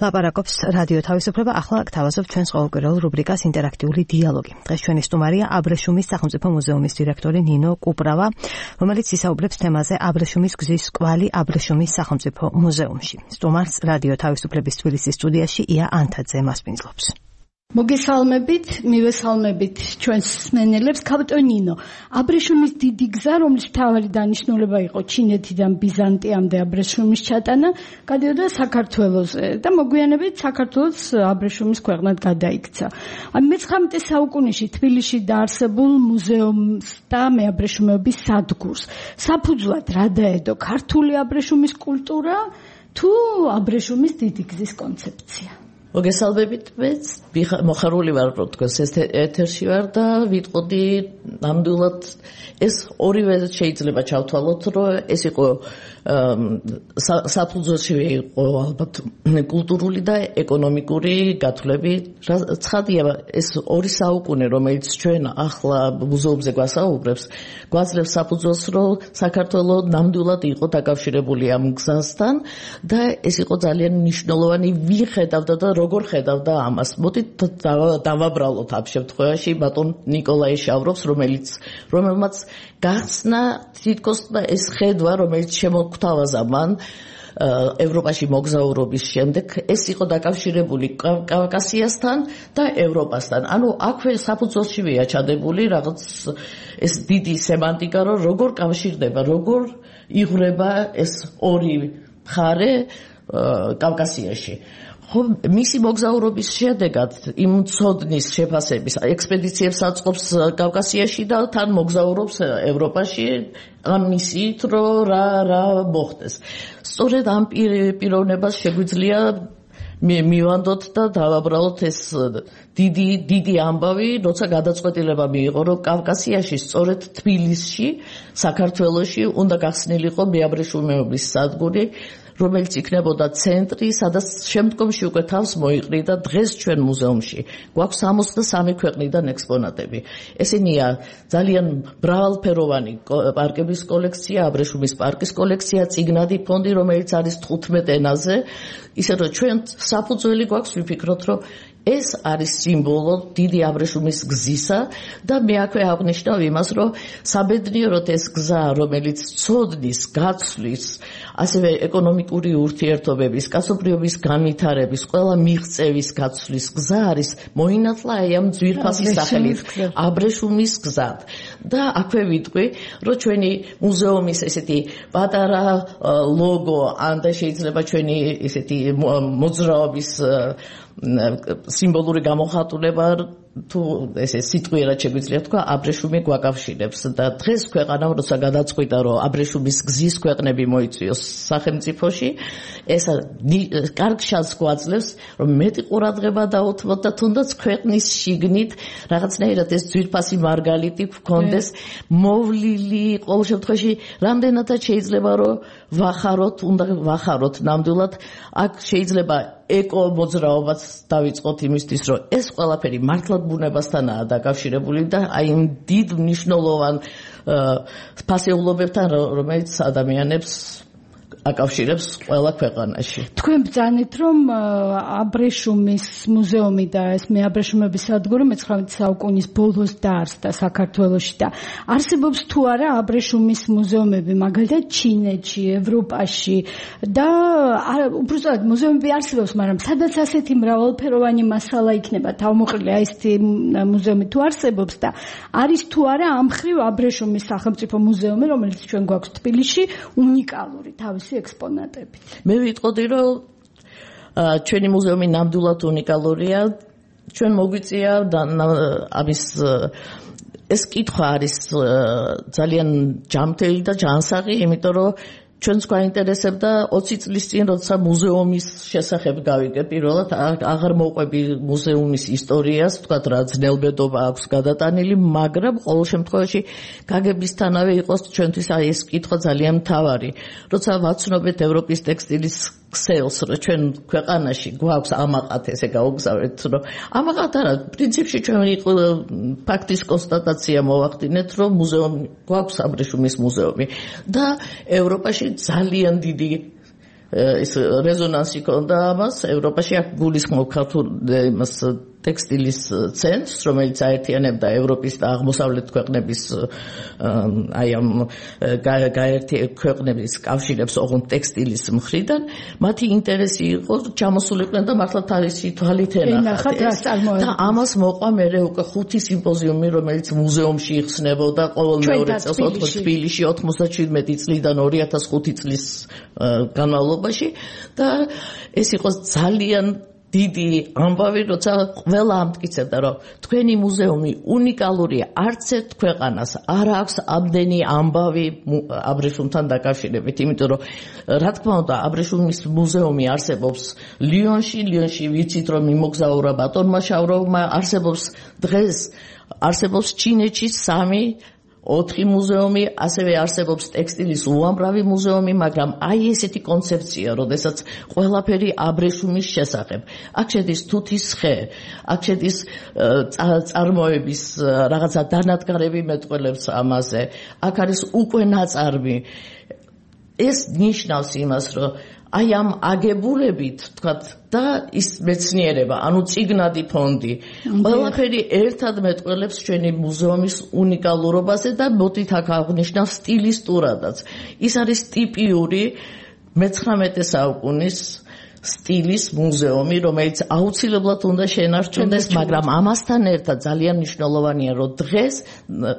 ლაპარაკობს რადიო თავისუფლება, ახლა გთავაზობ ჩვენს ყოველკვირეულ რუბრიკას ინტერაქტიული დიალოგი. დღეს ჩვენი სტუმარია აბრეშუმის სახელმწიფო მუზეუმის დირექტორი ნინო კუპრავა, რომელიც ისაუბრებს თემაზე აბრეშუმის გზის კვალი აბრეშუმის სახელმწიფო მუზეუმში. სტუმარს რადიო თავისუფლების თბილისის სტუდიაში ია ანთაძე მასპინძლობს. მოგესალმებით, მივესალმებით ჩვენს მსმენელებს. ქავტონინო, აბრეშუმის დიდი გზა, რომლის მთავარი დანიშნულება იყო ჩინეთიდან ბიზანტიამდე აბრეშუმის ჩატანა, გადიოდა საქართველოზე და მოგვიანებით საქართველოს აბრეშუმის ქვეყნად გადაიქცა. მე-19 საუკუნეში თბილისში დაარსებულ მუზეუმს და მეაბრეშუმეობის სადგურს საფუძვლად რა დაედო, ქართული აბრეშუმის კულტურა თუ აბრეშუმის დიდი გზის კონცეფცია? მოგესალმებით, მეც მოხარული ვარ, რომ თქვენს ეთერში ვარ და ვიტყოდი ნამდვილად ეს ორივე შეიძლება ჩავთვალოთ, რომ ეს იყო საფუძველში იყო ალბათ კულტურული და ეკონომიკური გათვლები. ცხადია, ეს ორი საუკუნე, რომელიც ჩვენ ახლა მუზეუმზე გვასაუბრებს, გვაძლევს საფუძველს, რომ საქართველოს ნამდვილად იყო დაკავშირებული ამ გზასთან და ეს იყო ძალიან მნიშვნელოვანი. ვიხედავდა და როგორ ხედავდა ამას. მოდით დავაბრალოთ ამ შემთხვევაში ბატონ ნიკოლაი შავროვს, რომელმაც გახსნა თითქოს ეს ხედვა, რომელიც შემოგთავაზა მან ევროპაში მოგზაურობის შემდეგ, ეს იყო დაკავშირებული კავკასიასთან და ევროპასთან. ანუ აქვე საფუძველშივეა ჩადებული რაღაც ეს დიდი სემანტიკა, რომ როგორ კავშირდება, როგორ იღვრება ეს ორი მხარე კავკასიაში. მისი მოგზაურობის შედეგად იმ ცოდნის შეფასების ექსპედიციებს აწყობს კავკასიაში და თან მოგზაურობს ევროპაში ამ მისიით, რომ რა მოხდეს. სწორედ ამ პიროვნებას შეგვიძლია მივანდოთ და დავაბრალოთ ეს დიდი ამბავი, როცა გადაწყვეტილება მიიღო, რომ კავკასიაში, სწორედ თბილისში, საქართველოში უნდა გახსნილიყო მეაბრეშუმეობის სადგური, რომელიც იქნებოდა ცენტრი, სადაც შემდგომში უკვე თავს მოიყრიდა დღეს ჩვენ მუზეუმში. გვაქვს 63 ქვეყნიდან ექსპონატები. ესენია ძალიან მრავალფეროვანი პარკების კოლექცია, აბრეშუმის პარკის კოლექცია, წიგნადი ფონდი, რომელიც არის 15 ენაზე. ისე რომ ჩვენ საფუძველი გვაქვს ვიფიქროთ, რომ ეს არის სიმბოლო დიდი აბრეშუმის გზისა და მე აქვე აღნიშნავ იმას, რომ საბედნიეროდ ეს გზა, რომელიც ცოდნის, გაცვლის, ასევე ეკონომიკური ურთიერთობების, კაცობრიობის განვითარების, ყველა მიღწევის გაცვლის გზა არის მოინათლა აი ამ ძვირფასი სახელით აბრეშუმის გზა. და აქვე ვიტყვი, რომ ჩვენი მუზეუმის ესეთი პატარა ლოგო, ან და შეიძლება ჩვენი ესეთი მოძრაობის სიმბოლური გამოხატულება თუ ესე სიტყვიერად შეგვიძლია თქვა, აბრეშუმი გვაკავშირებს და დღეს ქვეყანამ როცა გადაწყვიტა, რომ აბრეშუმის გზის ქვეყნები მოიწვიოს სახელმწიფოში, ეს კარგ შანსს გვაძლევს, რომ მეტი ყურადღება დაუთმოთ და თუნდაც ქვეყნის შიგნით რაღაცნაირად ეს ძვირფასი მარგალიტი გქონდეს მოვლილი. ყოველ შემთხვევაში რამდენადაც შეიძლება რომ უნდა ვახაროთ ნამდვილად. აქ შეიძლება ეკო მოძრაობაც დავიწყოთ იმისთვის, რომ ეს ყველაფერი მართლაც ბუნებასთანაა დაკავშირებული და აი იმ დიდ მნიშვნელოვან ფასეულობებთან, რომელიც ადამიანებს აკავშირებს ყველა ქვეყანაში. თქვენ ბრძანეთ, რომ აბრეშუმის მუზეუმი და ეს მეაბრეშუმეობის სადგური მე-19 საუკუნის ბოლოს დაარსდა საქართველოში და არსებობს თუ არა აბრეშუმის მუზეუმები, მაგალითად ჩინეთში, ევროპაში და უბრალოდ მუზეუმები არსებობს, მაგრამ სადაც ასეთი მრავალფეროვანი მასალა იქნება თავმოყრილი, აი ესეთი მუზეუმი თუ არსებობს და არის თუ არა ამ მხრივ აბრეშუმის სახელმწიფო მუზეუმი, რომელიც ჩვენ გვაქვს თბილისში, უნიკალური თავისი ექსპონატებით. მე ვიტყოდი, რომ ჩვენი მუზეუმი ნამდვილად უნიკალურია. ჩვენ მოგვიწია ამის ეს კითხვა არის ძალიან ჯანმრთელი და ჯანსაღი, იმიტომ რომ ჩვენს გვაინტერესებდა 20 წლის წინ, როცა მუზეუმის შესახებ გავიგე პირველად, აღარ მოყვები მუზეუმის ისტორიას, ვთქვათ რა ძნელბედობა აქვს გადატანილი, მაგრამ ყოველ შემთხვევაში გაგებისთანავე იყოს ჩვენთვის აი ეს კითხვა ძალიან მთავარი. როცა ვაცნობეთ ევროპის ტექსტილის ქსელს, რომ ჩვენ ქვეყანაში გვაქვს ამაყად, ესე გაუგზავნეთ, რომ ამაყად არა, პრინციპში ჩვენ ფაქტის კონსტატაცია მოვახდინეთ, რომ მუზეუმი გვაქვს, აბრეშუმის მუზეუმი და ევროპაში ძალიან დიდი ეს რეზონანსი ქონდა ამას ევროპაში აქ გულისხმობ ქართულ იმას ტექსტილის ცენტრს, რომელიც აერთიანებდა ევროპის და აღმოსავლეთ ქვეყნების აი ამ ქვეყნების კავშირებს ოღონდ ტექსტილის მხრიდან, მათი ინტერესი იყო ჩამოსულიყვნენ და მართლა თავისი თვალით ენახათ და ამას მოყვა მერე უკვე 5 სიმპოზიუმი, რომელიც მუზეუმში იხსნებოდა ყოველ მეორე წელს თბილისში 97 წლიდან 2005 წლის განმავლობაში და ეს იყო ძალიან დიდი ამბავი, როცა ყველა ამტკიცებდა, რომ თქვენი მუზეუმი უნიკალურია, არც ერთ ქვეყანას არ აქვს ამდენი ამბავი აბრეშუმთან დაკავშირებით, იმიტომ რომ რა თქმა უნდა, აბრეშუმის მუზეუმი არსებობს ლიონში ვიცით რომ იმოგზაურა ბატონმა შავროვმა, არსებობს ჩინეთში 3-4 მუზეუმი, ასევე არსებობს ტექსტილის უამრავი მუზეუმი, მაგრამ აი ესეთი კონცეფცია, როდესაც ყველაფერი აბრეშუმის შესახებ. აქ შედის თუთის ხე, აქ შედის წარმოების რაღაცა დანადგარები მეტყველებს ამაზე, აქ არის უკვე ნაწარმი. ეს ნიშნავს იმას, რომ აი ამ აგებულებით, თქვათ, და ის მეცნიერება, ანუ წიგნადი ფონდი, ყველაფერი ერთად მეტყველებს ჩვენი მუზეუმის უნიკალურობაზე და მოდით აქ აღნიშნავ სტილისტურადაც. ის არის ტიპიური მე-19 საუკუნის სტილის მუზეუმი, რომელიც აუცილებლად უნდა შენარჩუნდეს, მაგრამ ამასთან ერთად ძალიან მნიშვნელოვანია, რომ დღეს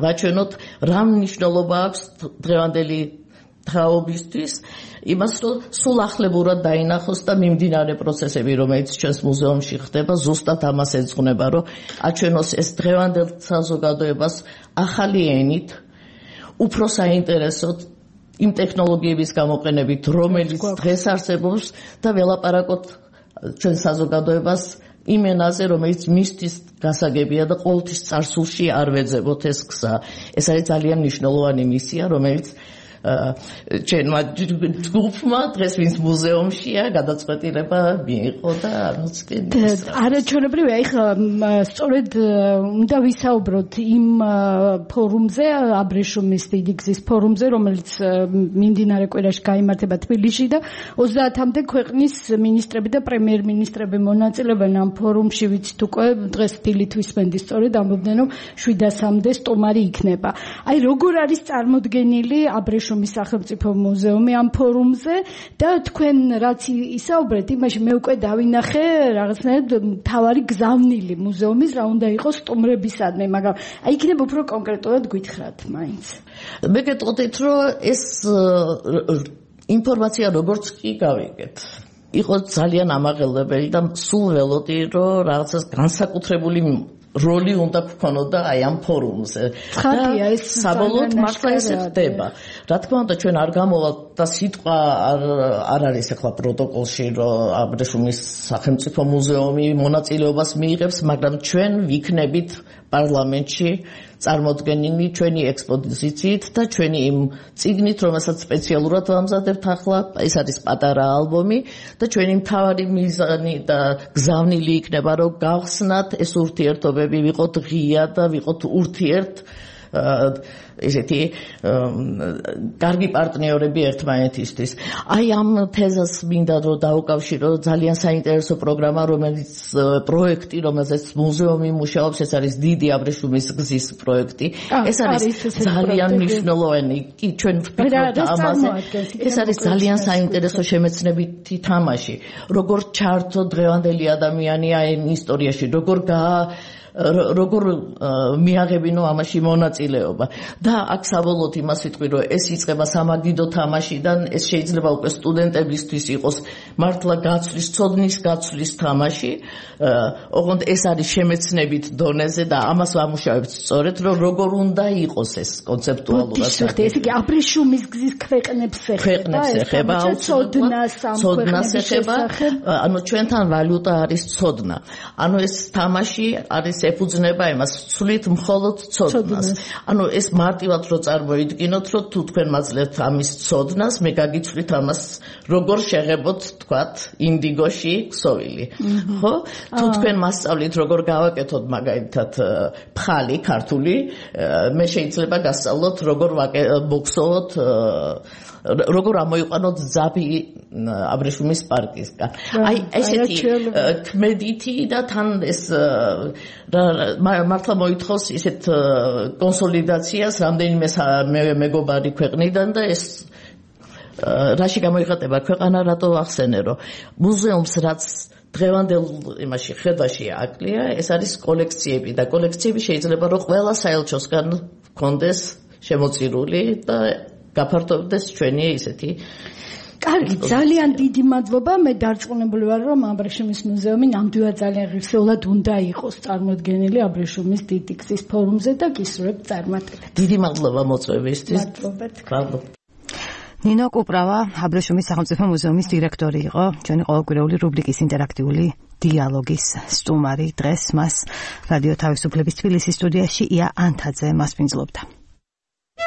ვაჩვენოთ რა მნიშვნელობა აქვს დღევანდელი თაობისთვის, იმას რომ სულ ახლებურად დაინახოს და მიმდინარე პროცესები, რომელიც ჩვენს მუზეუმში ხდება, ზუსტად ამას ეძღვნება, რომ აჩვენოს ეს დღევანდელ საზოგადოებას ახალი ენით, უფრო საინტერესოდ იმ ტექნოლოგიების გამოყენებით, რომელიც დღეს არსებობს და ველაპარაკოთ ჩვენ საზოგადოებას იმ ენაზე, რომელიც მისთვის გასაგებია და ყოველთვის წარსულში არ ვეძებოთ ეს გზა. ეს არის ძალიან მნიშვნელოვანი მისია, რომელიც ჩვენმა ჯგუფმა დღეს ვინც მუზეუმშია გადაწყვეტილება მიიღო და არაჩვენებრივია. ეხლა სწორედ უნდა ვისაუბროთ იმ ფორუმზე, აბრეშუმის დიდი გზის ფორუმზე, რომელიც მიმდინარე კვირაში გაიმართება თბილისში და 30-მდე ქვეყნის მინისტრები და პრემიერ-მინისტრები მონაწილეობენ ამ ფორუმში. ვიცით უკვე დღეს დილით ვისმენდი სწორედ ამბობდნენ, რომ 700-მდე სტუმარი იქნება. აი როგორ არის წარმოდგენილი აბრეშუმის სახელმწიფო მუზეუმი ამ ფორუმზე და თქვენ რაც ისაუბრეთ, იმაში მე უკვე დავინახე რაღაცნაირად თავარი გზავნილი მუზეუმის რა უნდა იყოს სტუმრებისადმი, მაგრამ აი იქნება უფრო კონკრეტულად გითხრათ მაინც. მე გეტყოდით, რომ ეს ინფორმაცია როგორც კი გავიგეთ, იყო ძალიან ამაღელებელი და სულ ველოდი, რომ რაღაცას განსაკუთრებული როლი უნდა გქონოდა აი ამ ფორუმზე. ხარია ეს საბოლოოდ მართლა ესე ხდება. რა თქმა უნდა ჩვენ არ გამოვალთ და სიტყვა არ არის ახლა პროტოკოლში, რომ აბრეშუმის სახელმწიფო მუზეუმი მონაწილეობას მიიღებს, მაგრამ ჩვენ ვიქნებით პარლამენტში წარმოდგენილი ჩვენი ექსპოზიციით და ჩვენი იმ წიგნით, რომელსაც სპეციალურად ვამზადებთ ახლა, ეს არის პატარა ალბომი და ჩვენი მთავარი მიზანი და გზავნილი იქნება, რომ გავხსნათ ეს ურთიერთობები, ვიყოთ ღია და ვიყოთ ურთიერთ ესეთი კარგი პარტნიორები ერთმანეთისთვის. აი ამ თეზას მინდა რომ დაუკავშირო ძალიან საინტერესო პროგრამა, რომელიც პროექტი, რომელზეც მუზეუმი მუშაობს, ეს არის დიდი აბრეშუმის გზის პროექტი. ეს არის ძალიან მნიშვნელოვანი. კი, ჩვენ ვფიქრობთ ამაზე. ეს არის ძალიან საინტერესო შემეცნებითი თამაში. როგორ ჩართო დღევანდელი ადამიანი ამ ისტორიაში, როგორ მიაღებინო ამაში მონაწილეობა და აქ საბოლოოდ იმას ვიტყვი, რომ ეს იწყება სამაგიდო თამაშიდან, ეს შეიძლება უკვე სტუდენტებისთვის იყოს მართლა ცოდნის გაცვლის თამაში, ოღონდ ეს არის შემეცნებით დონეზე და ამას ვამუშავებთ სწორედ, რომ როგორ უნდა იყოს ეს კონცეპტუალურად. ეს იგი აბრეშუმის გზის ქვეყნებს ეხება, ცოდნას ეხება, ანუ ჩვენთან ვალუტა არის ცოდნა. ანუ ეს თამაში არის ეფუძნება იმას სულით მხოლოდ ცოდნას. ანუ ეს მარტივად რო წარმოიდგინოთ, რომ თუ თქვენ მაძლევთ ამის ცოდნას, მე გაგიცვლით ამას როგორ შეღებოთ, თქვათ, ინდიგოში ქსოვილი. ხო? თუ თქვენ მასწავლით როგორ გავაკეთოთ მაგალითად ფხალი ქართული, მე შეიძლება გასწავლოთ როგორ მოგსოვოთ როგორ ამოიყვანოთ ძაბი აბრეშუმის პარკისგან. აი ესეთი ქმედითი და თან ეს მართლა მოითხოვს ისეთ კონსოლიდაციას რამდენიმე მეგობარი ქვეყნიდან და ეს რაში გამოიხატება ქვეყანა რატო ახსენე რომ მუზეუმს რაც დღევანდელ იმაში ხედვაში აკლია ეს არის კოლექციები და კოლექციები შეიძლება რომ ყველა საელჩოსგან კონდეს შემოწირული და გაფართოვდეს ჩვენი ისეთი კარგი, ძალიან დიდი მადლობა. მე დარწმუნებული ვარ, რომ აბრეშუმის მუზეუმი ნამდვილად ძალიან ღირსეულად უნდა იყოს წარმოდგენილი აბრეშუმის დიდი გზის ფორუმზე და გისურვებთ წარმატებებს. დიდი მადლობა მოწვევისთვის. მადლობა. ნინო კუპრავა, აბრეშუმის სახელმწიფო მუზეუმის დირექტორი იყო, ჩვენი ყოველკვირეული რუბრიკის ინტერაქტიული დიალოგის სტუმარი. დღეს მას რადიო თავისუფლების თბილისის სტუდიაში ია ანთაძე მასპინძლობდა.